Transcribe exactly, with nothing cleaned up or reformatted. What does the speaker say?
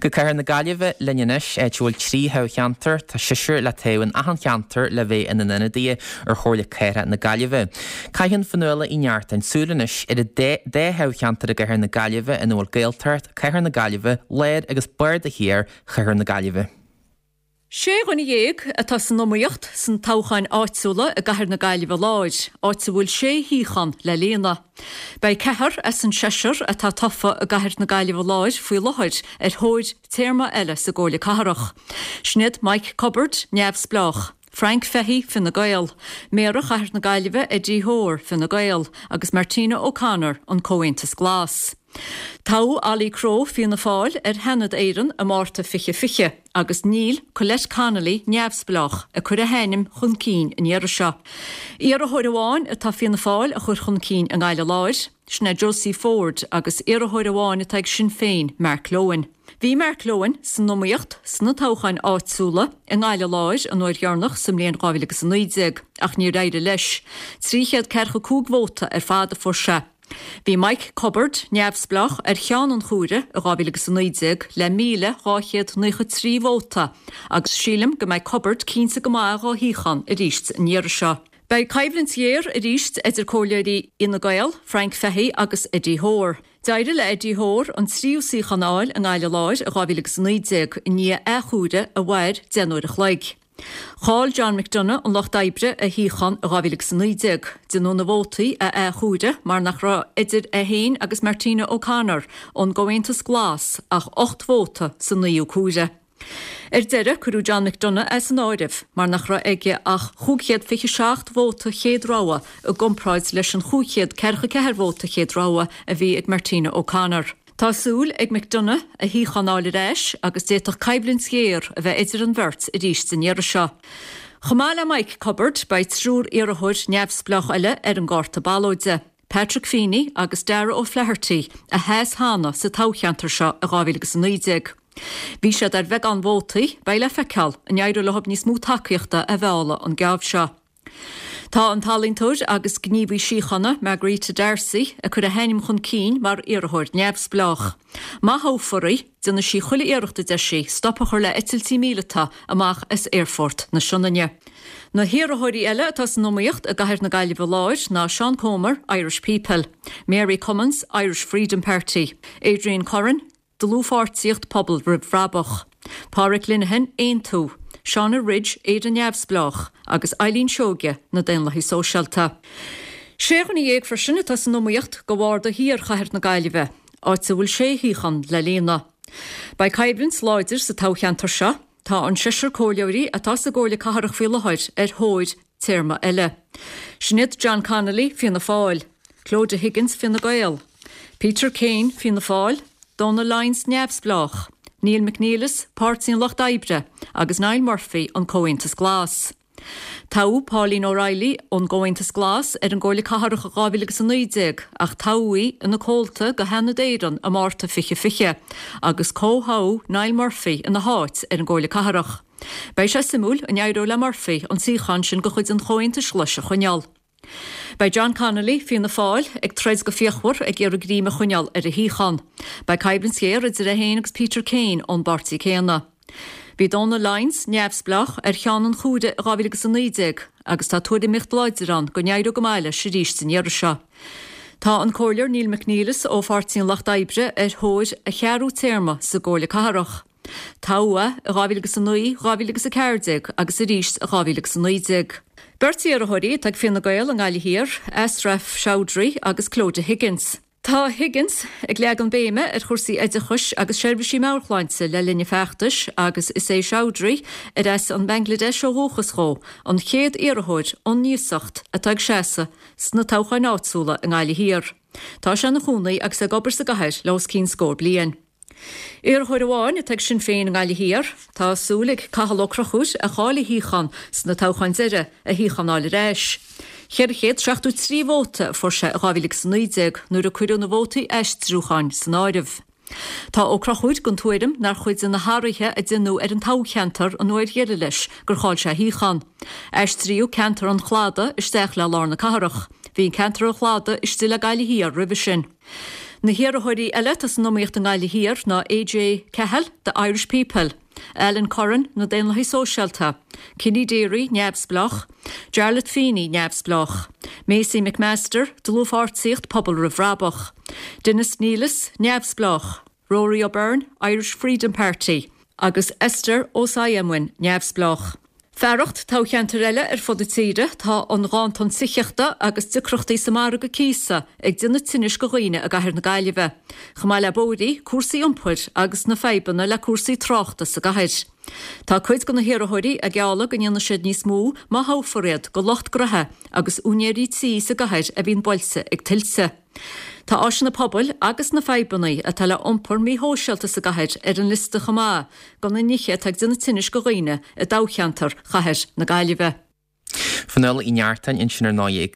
Go Cathair na Gaillimhe linn anois áit a bhfuil trí thoghcheantar tá seisear le toghadh in achan cheantar le bheith ina n-ionadaithe ar Chomhairle Cathrach na Gaillimhe. Caitheann Fionnuala Uí Neachtain súil anois ar an dá thoghcheantar i gCathair na Gaillimhe ina bhfuil Gaeltacht, Cathair na Gaillimhe, Lár agus Barda Thiar Chathair na Gaillimhe. Sé dhuine dhéag atá san iomaíocht sna toghcháin áitiúla i gCathair na Gaillimhe Láir, áit a bhfuil sé shuíochán le líonadh. Beidh ceathrar as an seisear atá tofa i gCathair na Gaillimhe Láir faoi láthair ar thóir téarma eile sa gComhairle Cathrach. Sin iad Mike Cubbard, neamhspleách, Frank Fahey Fine Gael, Méara Chathair na Gaillimhe Eddie Hoare Fine Gael agus Martina O'Connor an Comhaontas Glas. Toghadh Ollie Crowe Fianna Fáil ar Sheanad Éireann i Márta fiche fiche agus níl Colette Connolly neamhspleách ag cur a hainm chun cinn an iarraidh seo. Iarrthóir amháin atá Fianna Fáil a chur chun cinn i nGaillimh Láir, sin é Josie Ford agus iarrthóir amháin atá ag Sinn Féin Mark Lohan. Bhí Mark Lohan san iomaíocht sna toghcháin áitiúla i nGaillimh Láir an uair dheireanach sa mbliain dhá mhíle agus a naoi déag ach níor éirigh leis. Trí chéad ceathracha cúig vóta ar fad a fuair sé. Bhí Mike Cubbard neamhspleách ar cheann an chomhairimh i dhá mhíle agus a naoi déag le míle dhá chéad naocha trí vóta agus sílim go mbeidh Cubbard cinnte go maith dhá shuíochán arís an iarraidh seo. Beidh coimhlint ghéar arís idir comhairleoirí Fhine Gael, Frank Fahey agus Eddie Hoare. D'éirigh le Eddie Hoare an tríú suíochán a fháil i nGaillimh Láir i dhá mhíle agus a naoi déag i ndiaidh athchomhaireamh a mhair deich n-uair a chloig. Chaill John McDonagh an Lucht Oibre a shuíochán i dhá mhíle agus a naoi déag, déanadh na vótaí a athchomhaireamh mar nach raibh idir é féin agus Martina O'Connor ón gComhaontas Glas ach ocht vóta sa naoú comhaireamh. Ar deireadh cuireadh John McDonagh as an áireamh mar nach raibh aige ach cúig chéad fiche seacht vóta chéad rogha i gcomparáid leis an chúig chéad ceathracha ceathair vóta chéad rogha a bhí ag Martina O'Connor. Tá súil ag McDonagh a shuíochán a fháil ar ais agus d'fhéadfadh coimhlint ghéar a bheith idir an bheirt arís an iarraidh seo. Chomh maith le Mike Cubbard beidh triúr iarrthóir neamhspleách eile ar an gcárta ballóide. Patrick Feeney agus Dara O'Flaherty a sheas cheana sa toghcheantar seo i dhá mhíle agus a naoi déag. Bhí siad ar bheagán vótaí, beidh le feiceáil an éireoidh leo níos mó tacaíochta a mhealladh an geábh seo. Tá an t-ealaíontóir agus gníomhaí síochána Margarita D'Arcy ag cur a hainm chun cinn mar iarrthóir neamhspleách. Má thoghfar í, déanfaidh sí chuile iarracht a deir sí stop a chur le eitiltí míleata amach as aerfort na Sionainne. Na hiarrthóirí eile atá san iomaíocht i gCathair na Gaillimhe Láir ná Seán Comer, Irish People, Mary Cummins, Irish Freedom Party, Adrian Curran, Dlúthpháirtíocht Pobal Roimh Bhrabach, Pádraig Linehan, Aontú, Shauna Ridge, Éire Neamhspleách agus Eileen Seoige na Daonlathaigh Sóisialta. Sé dhuine dhéag freisin atá san iomaíocht do Bharda Thiar Chathair na Gaillimhe, áit a bhfuil sé shuíochán le líonadh. Beidh coimhlint láidir sa toghcheantar seo, tá an seisear comhairleoirí atá sa gComhairle Cathrach faoi láthair ar thóir téarma eile. Sin iad John Connolly, Fianna Fáil, Clodagh Higgins, Fine Gael, Peter Kane, Fianna Fáil, Donal Lyons Neamhspleách, Neil McNeilis, Páirtí an Lucht Oibre agus Niall Murphy an Comhaontas Glas. Toghadh Pauline O'Reilly ón gComhaontas Glas ar an gComhairle Cathrach dhá mhíle agus a naoi déag ach toghadh í ina comhalta de Sheanad Éireann i Márta fiche fiche agus comhthoghadh Niall Murphy ina háit ar an gComhairle Cathrach. Beidh sé suimiúil an éireoidh le Murphy an suíochán sin de chuid an Chomhaontais Ghlais a choinneáil. Beidh John Connolly, Fianna Fáil, ag troid go fíochmhar ag iarraidh greim a choinneáil ar a shuíochán. Beidh coimhlint ghéar idir é féin agus Peter Kane ón bpáirtí céanna. Bhí Donal Lyons neamhspleách ar cheann an chomhairimh i dhá mhíle agus a naoi déag agus tá tuairimíocht láidir ann go n-éireoidh go maith leis arís an iarraidh seo. Tá an comhairleoir Neil McNeilis ó Pháirtí an Lucht Oibre ar thóir a cheathrú téarma sa gComhairle Cathrach. Toghadh é i dhá mhíle agus a naoi, dhá mhíle agus a ceathair déag agus arís i dhá mhíle agus a naoi déag. Beirt iarrthóirí atá ag Fine Gael i nGaillimh Thiar, Ashraf Chowdhury agus Clodagh Higgins. Tá Higgins ag leagan béime ar chúrsaí oideachais agus seirbhísí meabhairshláinte le linn a feachtais agus is é Chowdhury ar as an Bangladesh ó dhúchas dó an chéad iarrthóir ón iasacht atá ag seasamh sna toghcháin áitiúla i nGaillimh Thiar. Tá sé ina chónaí agus ag obair sa gcathair le os cionn scór bliain. Iarrthóir amháin atá ag Sinn Féin i nGaillimh Thiar, tá súil ag Cathal Ó Conchúir a chaill a shuíochán sna toghcháin deiridh a shuíochán a fháil ar ais. Ceithre chéad seachtó trí vóta a fuair sé i dhá mhíle agus a naoi déag nuair a cuireadh na vótaí aistriúcháin san áireamh. Tá Ó Conchúir den tuairim nár chuid de na hathruithe a déanadh ar an toghcheantar an uair dheiridh leis gur chaill sé a shuíochán. Aistríodh ceantar an Chladaigh isteach le lár na cathrach. Bhí an ceantar an Chladaigh istigh le Gaillimh Thiar roimhe sin. Na hiarrthóirí eile atá san iomaíocht i nGaillimh Thiar ná AJ Cahill, The Irish People, Alan Curran, na Daonlathaigh Sóisialta, Kenny Deery, Neamhspleách, Jarlath Feeney, Neamhspleách, Maisie McMaster, Dlúthpháirtíocht Pobal Roimh Bhrabach, Dennis Neelis, Neamhspleách, Rory O'Byrne, Irish Freedom Party, agus Esther Osayemwin, Neamhspleách. Fearacht toghcheantair eile ar fud na tíre tá an ganntan tithíochta agus deacrachtaí sa margadh cíosa ag déanamh tinnis do dhaoine i gcathair na Gaillimhe. Chomh maith le bóithrí, cúrsaí iompair agus na fadhbanna le cúrsaí tráchta sa gcathair. Tá cuid de na hiarrthóirí ag gealladh go ndéanfaidh siad níos mó má thoghfar iad do lucht gnoithe agus úinéirí tí sa gcathair a bhíonn buailte ag tuilte. Tá áiseanna pobail agus na fadhbanna atá le iompar míshóisialta sa gcathair ar an liosta chomh maith de na nithe atá ag déanamh tinnis do dhaoine i dtoghcheantar chathair na Gaillimhe. Fionnuala Uí Neachtain ansin ar ndóigh